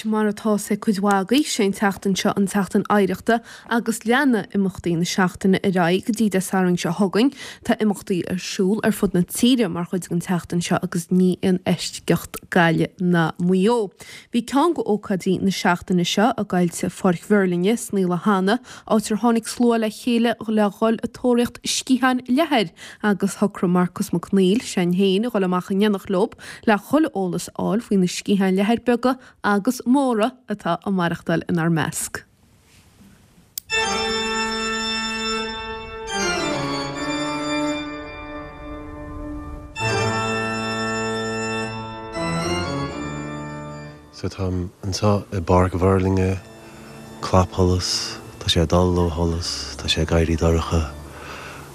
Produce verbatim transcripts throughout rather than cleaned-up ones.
Mar atá a fhios ag cuid mhaith agaibh, sé an tseachtain seo an tSeachtain Oidhreachta agus leanfaidh imeachtaí na seachtaine ar aghaidh go dtí Dé Sathairn seo chugainn. Tá imeachtaí ar siúl ar fud na tíre mar chuid den tseachtain seo agus ní aon eisceacht Gaillimh ná Maigh Eo. Bhí ceann de ócáidí na seachtaine seo i gCoillte Pháirc Mhuirlinne sna Naoi áit ar tháinig slua le chéile le dhul ag tóraíocht sciatháin leathair agus shocraigh Marcus Mac Neill, sin féin, a dhul amach in éineacht leo le chuile eolas a fháil faoi na sciatháin leathair beaga agus móra atá ag maireachtáil inár measc. So táim anseo i bPáirc Mhuirlinne, clapsholas, tá sé ag dul ó sholas, tá sé ag éirí dorcha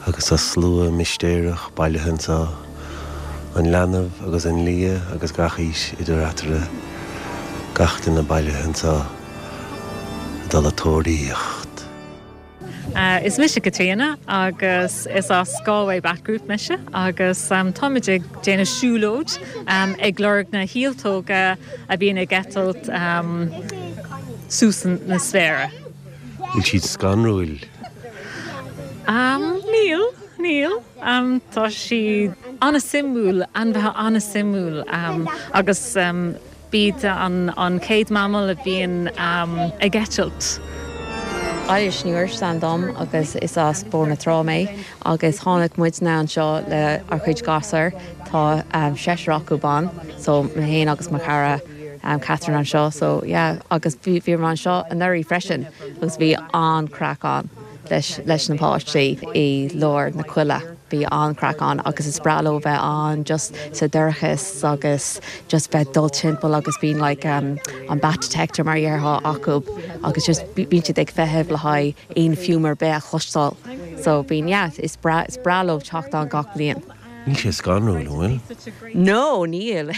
agus tá slua mistéireach bailithe anseo, an leanbh agus an lia agus gach aois idir eatarthu, gach duine bailithe anseo ag dul ag tóraíocht. Is mise Caitríona agus is as Galway Bat Group mise agus táimid ag déanamh siúlóid ag lorg na hialtóga a bhíonn ag eitilt suas na spéire. Bhfuil siad scanrúil? Níl, níl. Tá siad an-suimiúil, ainmhithe an-suimiúil agus b'iad an chéad mammal a bhíonn ag eitilt. Eilish Ní Fhuirsteáin dom agus is as Bóthar na Trá mé agus tháinig muidne anseo le ár chuid gasúr tá seisear acu ban so mé féin agus mo chara Catherine anseo so yeah agus bhí bhíomar anseo anuraidh freisin agus bhí an-craic ann leis leis na páistí i lár na coille. Bhí an-craic ann agus is breá leo bheith ann just sa dorchas agus just bheith dul timpeall agus bíonn like um, an bat detector mar dhéarfá acu agus just bíonn siad ag feitheamh le haghaidh aon fuaim ar bith a chloisteáil. So bíonn yeah, is breá is breá leo teacht ann gach bliain. Níl sé scanrúil bhfuil? No, níl.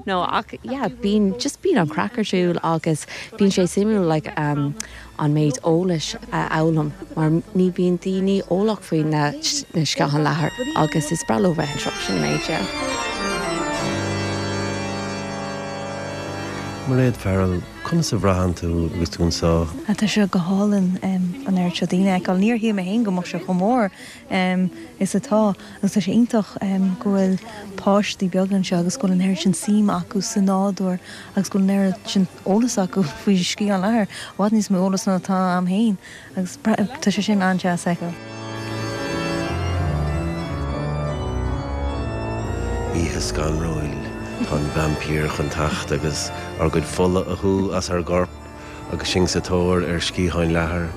No ach yeah, bíonn just bíonn an craic ar siúl agus bíonn sé suimiúil like, um, an méid eolais a fhoghlaim mar ní bhíonn daoine eolach faoi na, na sciatháin leathair agus is breá leo bheith anseo sin méid yeah. Mairéad Farrell, conas a bhraitheann tú agus tú anseo? Tá sé go hálainn an oiread seo daoine a fheiceáil. Níor shíl mé féin go mbeadh sé chomh mór is atá agus tá sé iontach go bhfuil páistí beaga anseo agus go bhfuil an oiread sin suim acu sa nádúr agus go bhfuil an oiread sin eolas acu faoi sciathán leathair, i bhfad níos mó eolas ná atá agam féin agus tá sé sin an-deas a fheiceáil. Oíche scanrúil Tá an vaimpír chun teacht agus ár gcuid fola a shú as ár gcorp agus sinn sa tóir ar sciatháin leathair.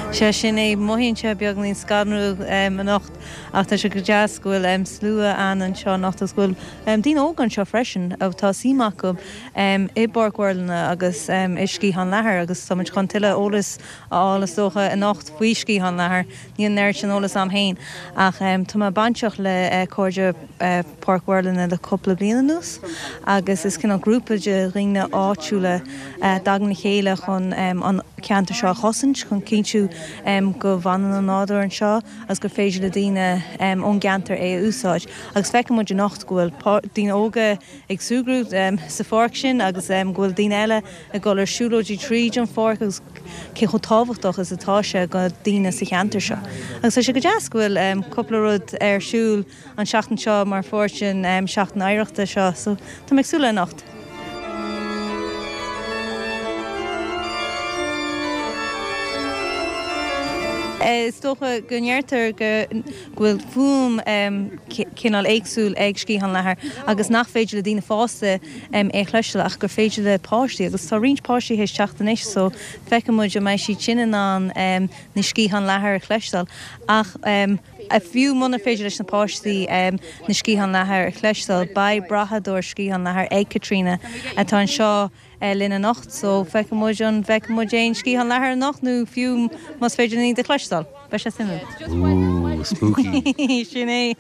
Sé sin é mothaíonn sé beagáinín scanrúil anocht ach tá sé go deas go bhfuil slua an anseo anocht agus go bhfuil daoine óga anseo freisin tá suim acu i bPáirc Mhuirlinne agus i sciathán leathair agus táimid chun tuilleadh eolas a fháil is dócha anocht faoi sciathán leathair. Níl an oiread sin eolas agam féin ach tá mé bainteach le Cairde Páirc Mhuirlinne le cúpla bliain anuas agus is cineál grúpa de dhaoine áitiúla a dtagann le chéile chun an ceantar seo a chosaint chun cinntiú go bhfanann an nádúr anseo agus gur féidir le daoine ón gceantar é a úsáid. Agus feiceann muid anocht go bhfuil daoine óga ag súgradh sa pháirc sin agus go bhfuil daoine eile ag dul ar siúlóidí tríd an pháirc agus cé chomh tábhachtach is atá sé do daoine sa cheantar seo. Agus tá sé go deas go bhfuil cúpla rud ar siúl an seachtain seo mar pháirt den seachtain oidhreachta seo, so tá mé ag súil le anocht. Is dócha go ndeirtear go bhfuil fuaim cineál éagsúil ag sciathán leathair agus nach féidir le daoine fásta é a chloisteáil ach gur féidir le páistí agus tá roinnt páistí théis teacht anois so feicfidh muid an mbeidh siad sin in ann na sciatháin leathair a chloisteáil ach fiú muna féidir leis na páistí na sciatháin leathair a chloisteáil beidh brathadóir sciathán leathair ag Caitríona atá anseo linn anocht so feicfidh muid an bhfeicfidh muid aon sciathán leathair anocht nó fiú más féidir linn iad a chloisteáil. Beidh sé suimiúil. Ooh, spooky. Sin é.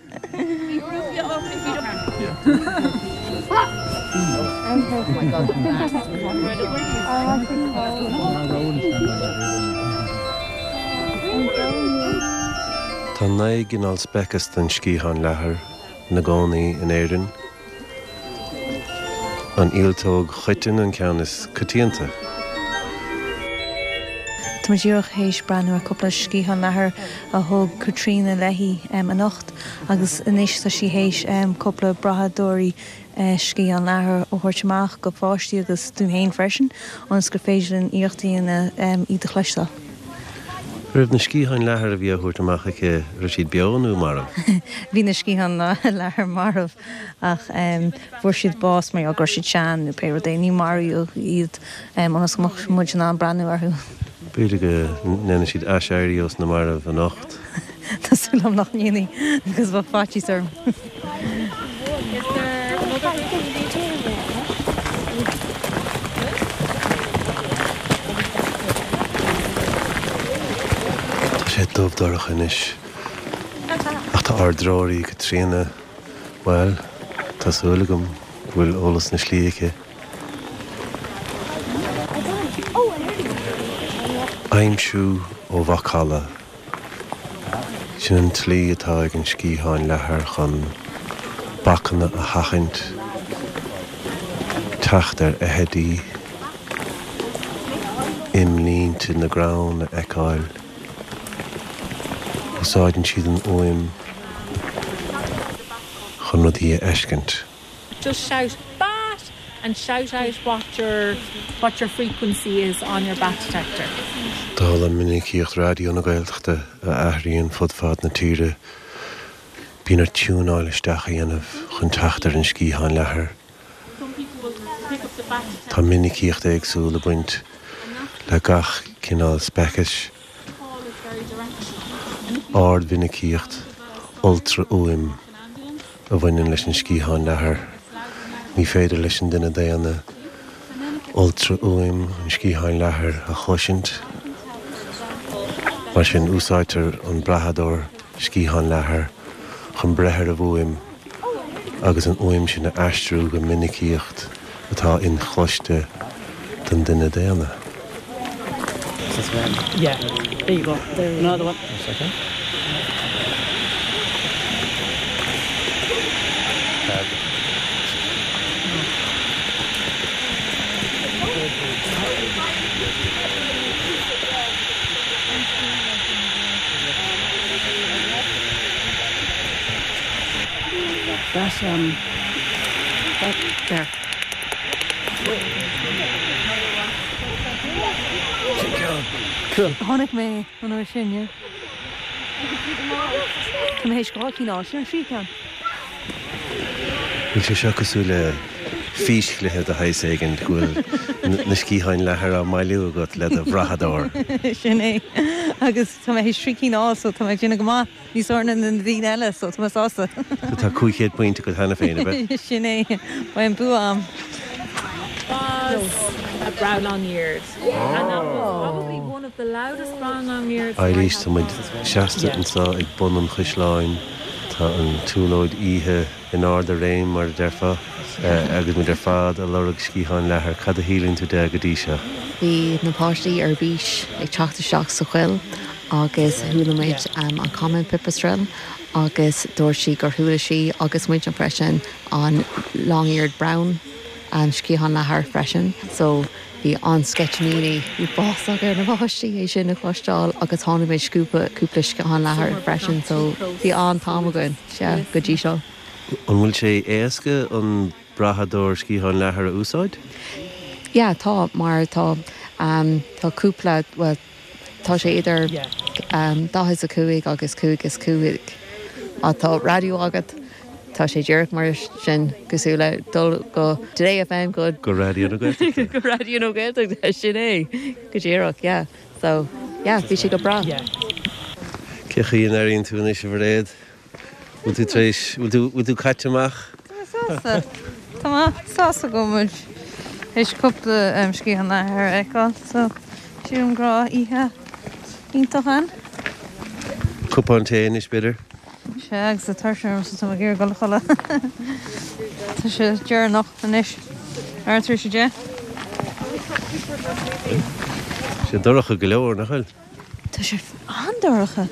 Tá naoi gcineál speiceas den sciathán leathair ina gcónaí in Éirinn. An ialtóg choiteann an ceann is coitianta. Tá muid díreach théis breathnú ar cúpla sciathán leathair a thug Caitríona léi anocht agus anois tá sí théis cúpla brathadóirí sciathán leathair a thabhairt amach go pháistí agus dúinn féin freisin ionas gur féidir linn iarracht a dhéanamh iad a chloisteáil. Raibh na sciatháin leathair a bhí á thabhairt amach aici, raibh siad beo nó marbh? Bhí na sciatháin leathair marbh ach fuair siad bás mar go raibh siad sean nó pé rud é, ní maraíodh iad ionas go mbeadh muid in ann breathnú orthu. B'fhéidir go ndéanfaidh siad aiséirí ós na mairbh anocht. Tá súil agam nach ndéanfaidh agus bheadh faitíos orm. Tá sé dubh dorcha anois ach tá ár dtreoraí Caitríona, bhuel, tá súil agam go bhfuil eolas na slí aici. Aimsiú ó mhacalla. Sin an tslí atá ag an sciathán leathair chun bacanna a sheachaint, teacht ar fheithidí, imlínte na gcrann a fheiceáil. Úsáideann siad an fhuaim chun rudaí a fheiscint. Just shout bat and shout out what your what your frequency is on your bat detector. Dála minicíocht Raidió na Gaeltachta a athraíonn fud fad na tíre, bíonn ort tiúnáil isteach a dhéanamh chun teacht ar an sciathán leathair. Tá minicíocht éagsúil ag baint le gach cineál speicis. Ardmhinicíocht ultrafhuaim a bhaineann leis an sciathán leathair. Ní féidir leis an duine daonna ultrafhuaim an sciatháin leathair a chloisint. Mar sin, úsáidtear an brathadóir sciathán leathair chun breith ar an bhfuaim agus an fhuaim sin a aistriú go minicíocht atá inchloiste don duine daonna. Yeah, there you go. Another one. Second. That um that there. Cool. Tháinig mé an uair sin, yeah. Tá mé théis dhá cinn a fháil, sin an tríú ceann. Bhfuil sé seo cosúil le físchluiche de shaghas éigin go bhfuil na sciatháin leathair á mbailiú agat le do bhrathadóir? Sin é. Agus tá mé théis trí cinn a fháil so tá mé ag déanamh go maith, níos fearr ná na daoine eile so tá mé sásta. So tá cúig chéad pointe agat cheana féin, ab ea? Sin é. Beidh an bua a'm. Was a brown long-eared. And that was probably one of the loudest brown long-eareds Eilís, tá muid seasta anseo ag bun an chaisleáin. Tá an tsiúlóid oíche in ard a réim, mar a déarfá, agus muid ar fad ag lorg sciathán leathair. Cad a shíleann tú de go dtí seo? Bhí na páistí ar bís ag teacht isteach sa choill agus chuala muid an common pipistrelle agus dúirt sí gur chuala sí agus muid freisin an long-eared brown an sciathán leathair freisin. So bhí an-sceitimíní uafásach ar na páistí é sin a chloisteáil agus tháinig muid cúpla cúpla sciathán leathair freisin so bhí an-am againn sea go dtí seo. An bhfuil sé éasca an brathadóir sciathán leathair a úsáid? Yeah, tá mar tá um, tá cúpla well, tá sé idir um, daichead a cúig agus cúig is cúig. Má tá raidió agat tá sé díreach mar sin cosúil le dul go Today FM go Go Raidió na Gaeltachta. go Raidió na Gaeltachta sin é go díreach yeah. So yeah, bhí sé go breá. Cé chaoi a n-airíonn tú anois a Mhairéad? Bhfuil tú tar éis bhfuil tú bhfuil tú caite amach? Tá mé sásta. Tá mé sásta go bhfuil muid théis cúpla um, sciathán leathair a fheiceáil, so sílim go raibh oíche iontach ann. Cupán tae anois b'fhéidir? Sea, agus tá tuirse orm so tá mé ag iarraidh dul a chodladh. Tá sé deireanach anois. Ar tar éis a deich. Sé dorcha go leor, nach bhfuil? Tá sé an-dorcha.